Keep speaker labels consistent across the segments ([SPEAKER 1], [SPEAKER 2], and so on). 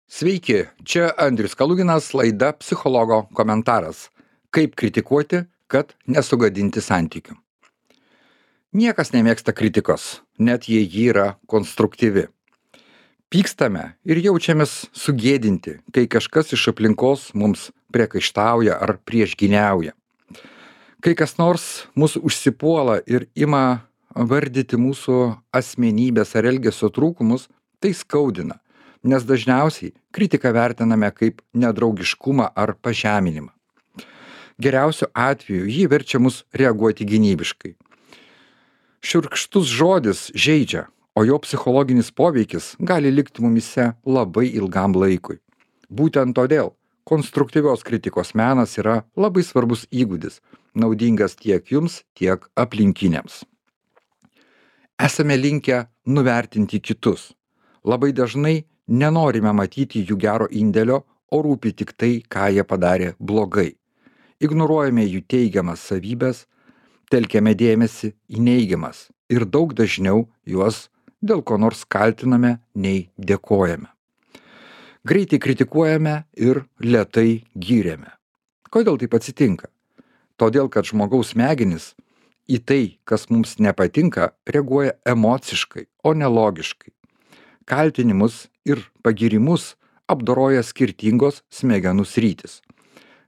[SPEAKER 1] Sveiki, čia Andrius Kaluginas, laida Psichologo komentaras. Kaip kritikuoti, kad nesugadinti santykių. Niekas nemėgsta kritikos, net jei ji yra konstruktyvi. Pykstame ir jaučiamės sugėdinti, kai kažkas iš aplinkos mums priekaištauja ar priešgyniauja. Kai kas nors mus užsipuola ir ima vardyti mūsų asmenybės ar elgesio trūkumus, tai skaudina, nes dažniausiai kritiką vertiname kaip nedraugiškumą ar pažeminimą. Geriausiu atveju jį verčia mus reaguoti gynybiškai. Šiurkštus žodis žeidžia, o jo psichologinis poveikis gali likti mumise labai ilgam laikui. Būtent todėl konstruktyvios kritikos menas yra labai svarbus įgūdis, naudingas tiek jums, tiek aplinkiniams. Esame linkę nuvertinti kitus. Labai dažnai nenorime matyti jų gero indėlio, o rūpi tik tai, ką jie padarė blogai. Ignoruojame jų teigiamas savybės, telkiame dėmesį į neigiamas ir daug dažniau juos dėl ko nors kaltiname, nei dėkojame. Greitai kritikuojame ir lėtai gyrėme. Kodėl taip atsitinka? Todėl, kad žmogaus smegenys į tai, kas mums nepatinka, reaguoja emociškai, o ne logiškai. Kaltinimus ir pagyrimus apdoroja skirtingos smegenų sritys.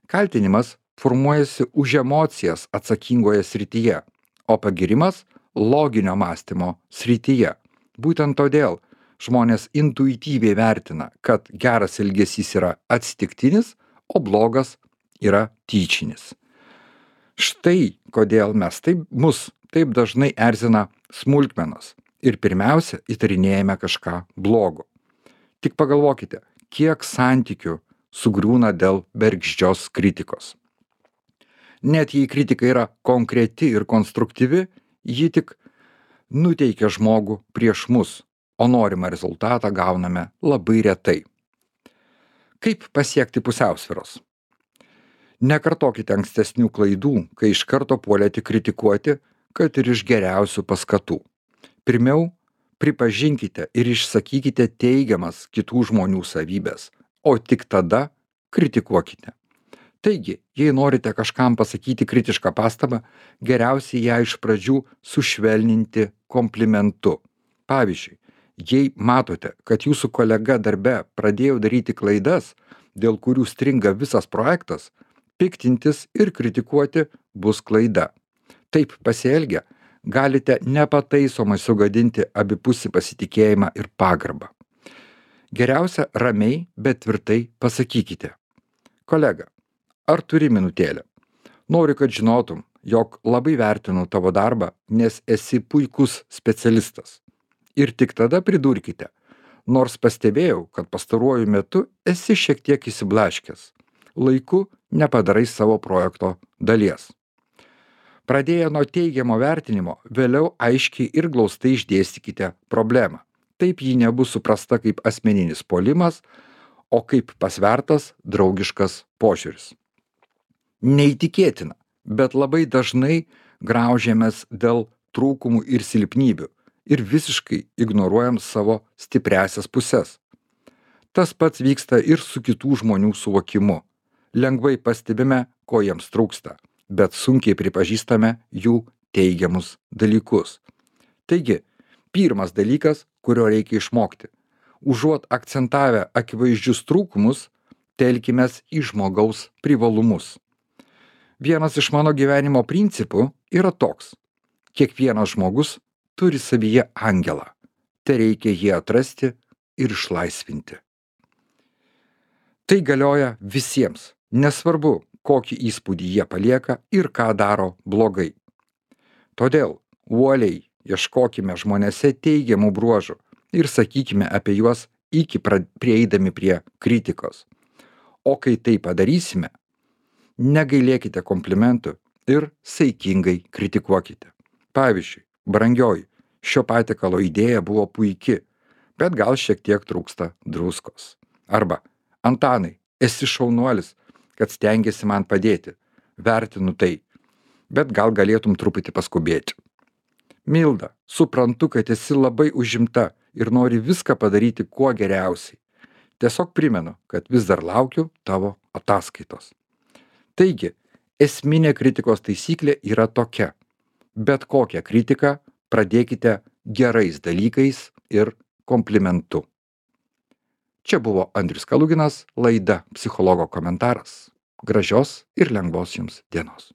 [SPEAKER 1] Kaltinimas formuojasi už emocijas atsakingoje srityje, o pagyrimas loginio mąstymo srityje. Būtent todėl žmonės intuityviai vertina, kad geras elgesys yra atsitiktinis, o blogas yra tyčinis. Štai kodėl mus taip dažnai erzina smulkmenos ir pirmiausia įtarinėjame kažką blogo. Tik pagalvokite, kiek santykių sugriūna dėl bergždžios kritikos. Net jei kritika yra konkreti ir konstruktyvi, ji tik nuteikia žmogų prieš mus, o norimą rezultatą gauname labai retai. Kaip pasiekti pusiausvyros? Nekartokite ankstesnių klaidų, kai iš karto puolėte kritikuoti, kad ir iš geriausių paskatų. Pirmiau, pripažinkite ir išsakykite teigiamas kitų žmonių savybės, o tik tada kritikuokite. Taigi, jei norite kažkam pasakyti kritišką pastabą, geriausiai ją iš pradžių sušvelninti komplimentu. Pavyzdžiui, jei matote, kad jūsų kolega darbe pradėjo daryti klaidas, dėl kurių stringa visas projektas, piktintis ir kritikuoti bus klaida. Taip pasielgę, galite nepataisomai sugadinti abipusį pasitikėjimą ir pagarbą. Geriausia ramiai, bet tvirtai pasakykite. Kolega, ar turi minutėlę? Noriu, kad žinotum, jog labai vertinu tavo darbą, nes esi puikus specialistas. Ir tik tada pridurkite, nors pastebėjau, kad pastaruoju metu esi šiek tiek įsiblaškęs. Laiku nepadarai savo projekto dalies. Pradėję nuo teigiamo vertinimo, vėliau aiškiai ir glaustai išdėstykite problemą. Taip ji nebus suprasta kaip asmeninis puolimas, o kaip pasvertas draugiškas požiūris. Neįtikėtina, bet labai dažnai graužiamės dėl trūkumų ir silpnybių ir visiškai ignoruojam savo stipriąsias puses. Tas pats vyksta ir su kitų žmonių suvokimu. Lengvai pastebime, ko jiems trūksta, bet sunkiai pripažįstame jų teigiamus dalykus. Taigi, pirmas dalykas, kurio reikia išmokti. Užuot akcentavę akivaizdžius trūkumus, telkimės į žmogaus privalumus. Vienas iš mano gyvenimo principų yra toks. Kiekvienas žmogus turi savyje angelą. Tereikia jį atrasti ir išlaisvinti. Tai galioja visiems, nesvarbu, kokį įspūdį jie palieka ir ką daro blogai. Todėl uoliai ieškokime žmonėse teigiamų bruožų ir sakykime apie juos iki prieidami prie kritikos. O kai tai padarysime, negailėkite komplimentų ir saikingai kritikuokite. Pavyzdžiui, brangioji, šio patiekalo idėja buvo puiki, bet gal šiek tiek trūksta druskos. Arba, Antanai, esi šaunuolis, kad stengiasi man padėti. Vertinu tai, bet gal galėtum truputį paskubėti. Milda, suprantu, kad esi labai užimta ir nori viską padaryti kuo geriausiai. Tiesiog primenu, kad vis dar laukiu tavo ataskaitos. Taigi, esminė kritikos taisyklė yra tokia. Bet kokią kritiką pradėkite gerais dalykais ir komplimentu. Čia buvo Andrius Kaluginas, laida Psichologo komentaras. Gražios ir lengvos jums dienos.